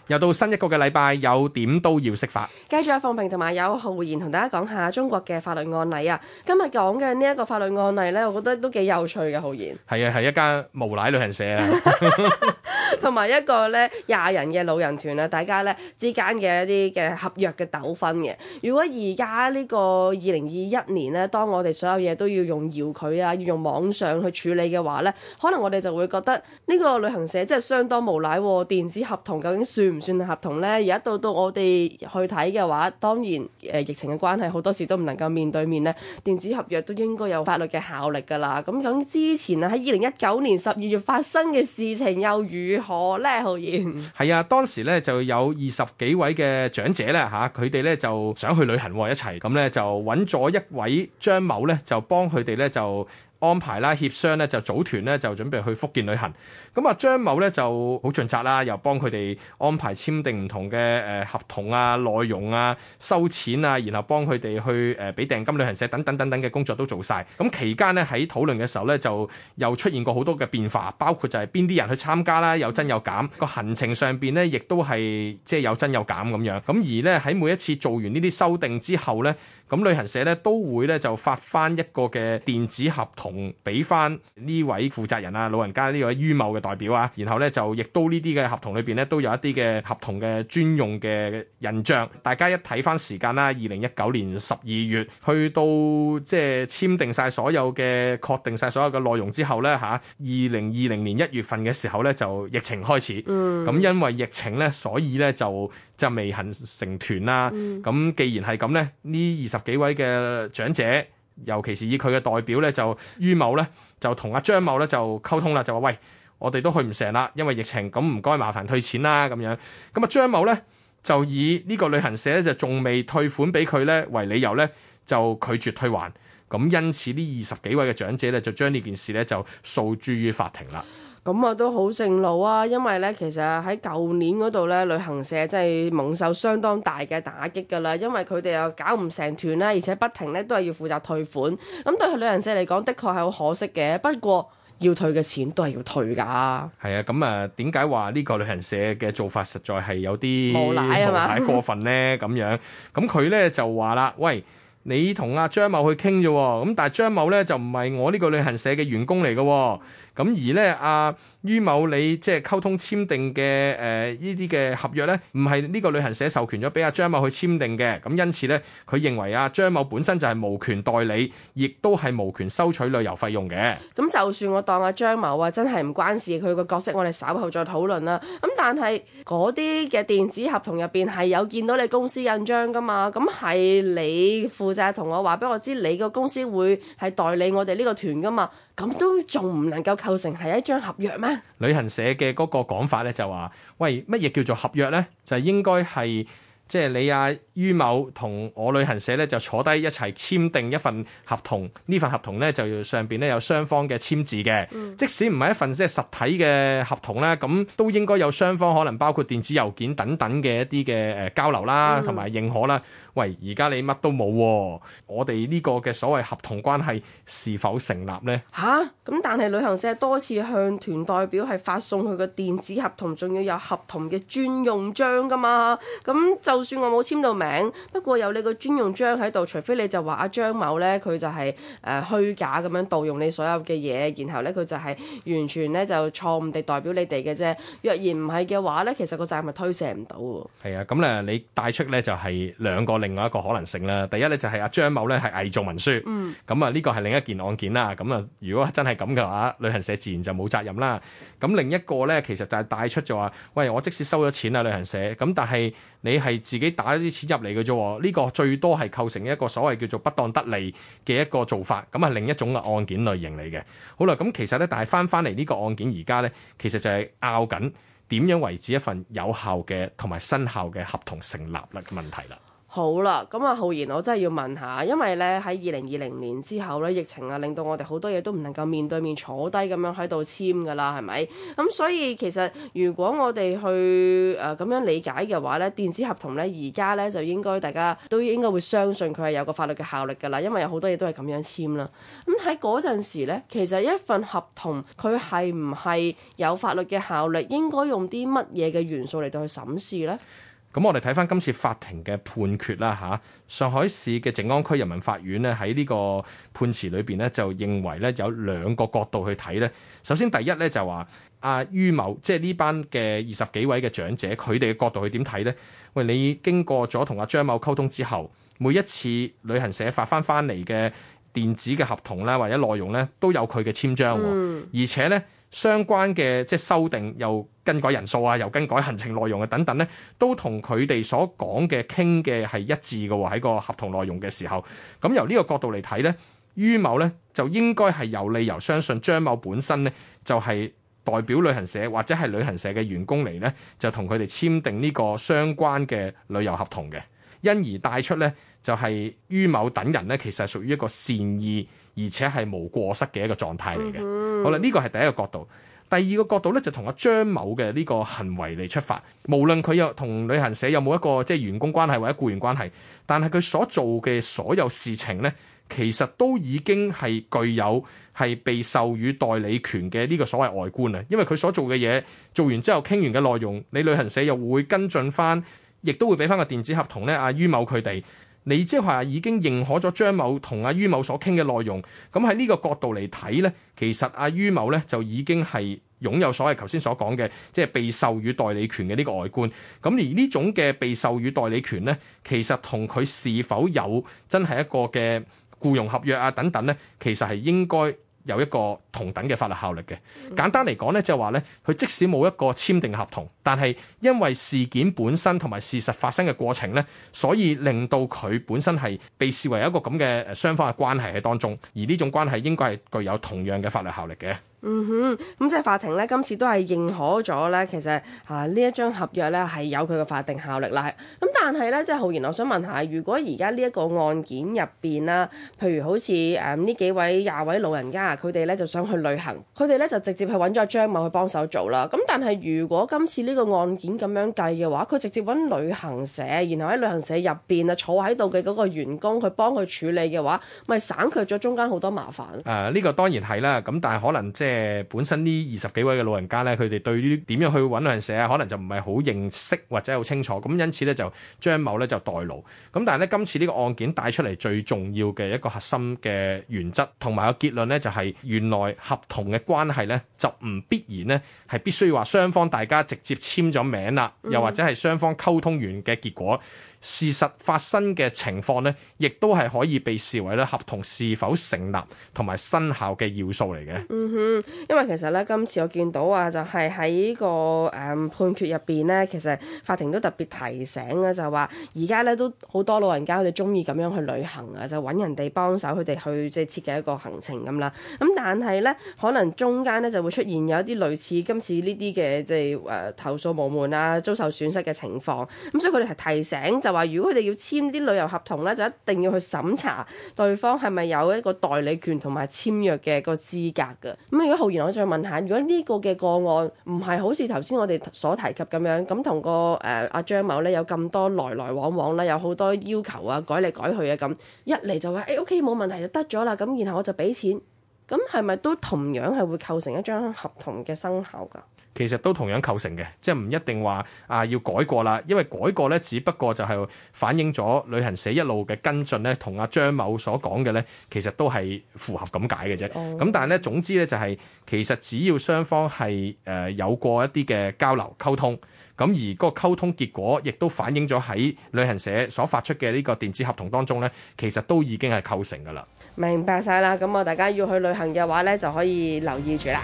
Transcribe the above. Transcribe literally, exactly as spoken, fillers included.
又到新一個嘅禮拜，有點都要識法。繼續有鳳萍同埋有浩然同大家講下中國嘅法律案例啊。今日講嘅呢一個法律案例呢，我覺得都幾有趣嘅。浩然係啊，係一間無賴旅行社啊，同埋一個咧廿人嘅老人團啊，大家咧之間嘅一啲嘅合約嘅糾紛嘅。如果而家呢個二零二一年呢，當我哋所有嘢都要用遙距啊，要用網上去處理嘅話呢，可能我哋就會覺得呢個旅行社真係相當無賴喎。電子合同究竟算唔算係合同呢？而家到到我哋去睇嘅話，當然誒、呃、疫情嘅關係，好多時都唔能夠面對面呢，電子合約都應該有法律嘅效力㗎啦。咁咁之前啊喺二零一九年十二月發生嘅事情又如何呢？浩然係啊，當時咧就有二十幾位嘅長者咧嚇，佢哋咧就想去旅行一齊，咁咧就揾咗一位張某咧就幫佢哋咧就安排啦、協商咧就組團咧就準備去福建旅行。咁啊張某咧就好盡責啦，又幫佢哋安排簽訂唔同嘅誒合同啊、內容啊、收錢啊，然後幫佢哋去誒俾訂金旅行社等等等等嘅工作都做晒。咁期間咧喺討論嘅時候咧就又出現過好多嘅變化，包括就係邊啲人去參加啦，有增有減，個行程上邊咧亦都係即係有增有減咁樣。咁而咧喺每一次做完呢啲修訂之後咧，咁旅行社咧都會咧就發翻一個嘅電子合同俾翻呢位負責人啊、老人家呢位于某嘅代表啊，然後咧就亦都呢啲嘅合同裏邊咧都有一啲嘅合同嘅專用嘅印章。大家一睇翻時間啦，二零一九年十二月去到即係簽訂晒所有嘅確定晒所有嘅內容之後咧嚇，二零二零年一月份嘅時候咧就疫情開始，咁、嗯、因為疫情咧，所以咧就就未行成團啦。咁、嗯、既然係咁咧，呢二十幾位嘅長者，尤其是以佢嘅代表咧，就于某咧就同阿張某咧就溝通啦，就話喂，我哋都去唔成啦，因為疫情，咁唔該麻煩退錢啦咁樣。咁啊張某咧就以呢個旅行社咧就仲未退款俾佢咧為理由咧，就拒絕退還。咁因此呢二十幾位嘅長者咧就將呢件事咧就訴諸於法庭啦。咁啊都好正路啊，因為咧其實喺舊年嗰度咧，旅行社真係蒙受相當大嘅打擊㗎啦，因為佢哋又搞唔成團啦，而且不停咧都係要負責退款。咁對旅行社嚟講，的確係好可惜嘅。不過要退嘅錢都係要退㗎。係啊，咁啊點解話呢個旅行社嘅做法實在係有啲無賴係嘛？太過分咧咁樣？咁佢咧就話啦，喂，你同阿張某去傾啫，咁但係張某咧就唔係我呢個旅行社嘅員工嚟嘅。咁而咧，阿于某你即係溝通簽訂嘅誒呢啲嘅合約咧，唔係呢個旅行社授權咗俾阿張某去簽訂嘅。咁因此咧，佢認為阿張某本身就係無權代理，亦都係無權收取旅遊費用嘅。咁就算我當阿張某啊，真係唔關事，佢個角色我哋稍後再討論啦。咁但係嗰啲嘅電子合同入邊係有見到你公司印章噶嘛？咁係你負責同我話俾我知，你個公司會係代理我哋呢個團噶嘛？咁都仲唔能夠構成係一張合約咩？旅行社嘅嗰個講法咧就話，喂，乜嘢叫做合約咧？就係應該係即係你阿于某同我旅行社咧就坐低一齊簽訂一份合同，呢份合同咧就上邊咧有雙方嘅簽字嘅。嗯、即使唔係一份即係實體嘅合同咧，咁都應該有雙方可能包括電子郵件等等嘅一啲嘅誒交流啦，同埋、嗯、認可啦。喂，而家你乜都冇喎，我哋呢個嘅所謂合同關係是否成立呢？吓？咁但係旅行社多次向團代表係發送佢個電子合同，仲要有合同嘅專用章噶嘛？咁就算我冇簽到名，不過有你個專用章喺度，除非你就話阿張某咧，佢就係誒虛假咁樣盜用你所有嘅嘢，然後咧佢就係完全咧就錯誤地代表你哋嘅啫。若然唔係嘅話咧，其實個責任係推卸唔到喎。係啊，咁咧你帶出咧就係兩個另外一個可能性啦。第一咧就係阿張某咧係偽造文書，嗯，咁啊呢個係另一件案件啦。咁啊如果真係咁嘅話，旅行社自然就冇責任啦。咁另一個咧其實就係帶出就話，喂，我即使收咗錢啊旅行社，咁但係你係自己打啲錢入嚟嘅啫，呢個最多係構成一個所謂叫做不當得利嘅一個做法，咁係另一種嘅案件類型嚟嘅。好啦，咁其實咧，但係翻翻嚟呢個案件而家咧，其實就係拗緊點樣維持一份有效嘅同埋生效嘅合同成立啦嘅問題啦。好啦，咁啊浩然，我真係要問下，因為咧喺二零二零年之後咧，疫情啊令到我哋好多嘢都唔能夠面對面坐低咁樣喺度簽噶啦，係咪？咁所以其實如果我哋去誒咁、呃、樣理解嘅話咧，電子合同咧而家咧就應該大家都應該會相信佢係有個法律嘅效力噶啦，因為有好多嘢都係咁樣簽啦。咁喺嗰陣時咧，其實一份合同佢係唔係有法律嘅效力，應該用啲乜嘢嘅元素嚟到去審視咧？咁我哋睇翻今次法庭嘅判決啦嚇，上海市嘅靜安區人民法院咧喺呢個判詞裏邊咧就認為咧有兩個角度去睇咧。首先第一咧就話阿于某即係呢班嘅二十幾位嘅長者，佢哋嘅角度去點睇咧？喂，你經過咗同阿張某溝通之後，每一次旅行社發翻翻嚟嘅電子嘅合同啦或者內容咧都有佢嘅簽章，嗯、而且咧。相關嘅即係修訂又更改人數啊，又更改行程內容啊等等咧，都同佢哋所講嘅傾嘅係一致嘅喎。喺個合同內容嘅時候，咁由呢個角度嚟睇咧，于某咧就應該係有理由相信張某本身咧就係代表旅行社或者係旅行社嘅員工嚟咧，就同佢哋簽訂呢個相關嘅旅遊合同嘅，因而帶出咧就係于某等人咧其實係屬於一個善意而且係無過失嘅一個狀態嚟嘅。嗯、好啦，呢個係第一個角度。第二個角度咧就同阿張某嘅呢個行為嚟出發，無論佢有同旅行社有冇一個即係員工關係或者僱員關係，但係佢所做嘅所有事情咧，其實都已經係具有係被授予代理權嘅呢個所謂外觀啊。因為佢所做嘅嘢做完之後傾完嘅內容，你旅行社又會跟進翻，亦都會俾翻個電子合同咧，阿于某佢哋。你即係話已經認可咗張某同阿于某所傾嘅內容，咁喺呢個角度嚟睇呢，其實阿于某呢就已經係擁有所謂頭先所講嘅，即係被授予代理權嘅呢個外觀。咁而呢種嘅被授予代理權呢，其實同佢是否有真係一個嘅僱傭合約啊等等呢，其實係應該有一個同等嘅法律效力嘅。簡單嚟講咧，就係話咧，佢即使冇一個簽訂合同，但係因為事件本身同埋事實發生嘅過程咧，所以令到佢本身係被視為一個咁嘅誒雙方嘅關係喺當中，而呢種關係應該係具有同樣嘅法律效力嘅。嗯哼，咁即係法庭咧，今次都係認可咗咧，其實啊呢一張合約咧係有佢嘅法定效力啦。咁但係咧，即係浩然，我想問下，如果而家呢一個案件入邊啦，譬如好似誒呢幾位廿位老人家，佢哋咧就想去旅行，佢哋咧就直接去揾咗張某去幫手做啦。咁但係如果今次呢個案件咁樣計嘅話，佢直接揾旅行社，然後喺旅行社入邊啊坐喺度嘅嗰個員工去幫佢處理嘅話，咪省卻咗中間好多麻煩。誒、呃，呢、這個當然係啦，咁但係可能即係。誒本身呢二十幾位嘅老人家咧，佢哋對於點樣去揾旅行社啊，可能就唔係好認識或者好清楚，咁因此咧就張某咧就代勞。咁但係咧今次呢個案件帶出嚟最重要嘅一個核心嘅原則同埋個結論咧，就係原來合同嘅關係咧就唔必然咧係必須要話雙方大家直接簽咗名啦，又或者係雙方溝通完嘅結果。事實發生嘅情況呢，亦都係可以被視為咧合同是否成立同埋生效嘅要素嚟嘅。嗯哼，因為其實咧今次我見到啊，就係喺呢個誒、嗯、判決入邊呢，其實法庭都特別提醒啊，就話而家咧都好多老人家佢哋中意咁樣去旅行啊，就揾人哋幫手佢哋去即係設計一個行程咁啦。咁但係咧可能中間咧就會出現有一啲類似今次呢啲嘅即係誒投訴無門啊、遭受損失嘅情況。咁所以佢哋係提醒就話，如果佢哋要簽啲旅遊合同咧，就一定要去審查對方係咪有一個代理權同埋簽約嘅個資格㗎。咁如果浩然，我再問下，如果呢個嘅個案唔係好似頭先我哋所提及咁樣，咁同個誒阿張某咧有咁多來來往往啦，有好多要求啊，改嚟改去啊，咁一嚟就話誒 OK 冇問題就得咗啦，咁然後我就俾錢，咁係咪都同樣係會構成一張合同嘅生效㗎？其實都同樣構成嘅，即係唔一定話啊要改過啦，因為改過咧，只不過就係反映咗旅行社一路嘅跟進咧，同阿張某所講嘅咧，其實都係符合咁解嘅啫。咁、oh. 但係咧，總之咧就係、是、其實只要雙方係誒、呃、有過一啲嘅交流溝通，咁而嗰個溝通結果亦都反映咗喺旅行社所發出嘅呢個電子合同當中咧，其實都已經係構成㗎啦。明白晒啦，咁我大家要去旅行嘅話咧，就可以留意住啦。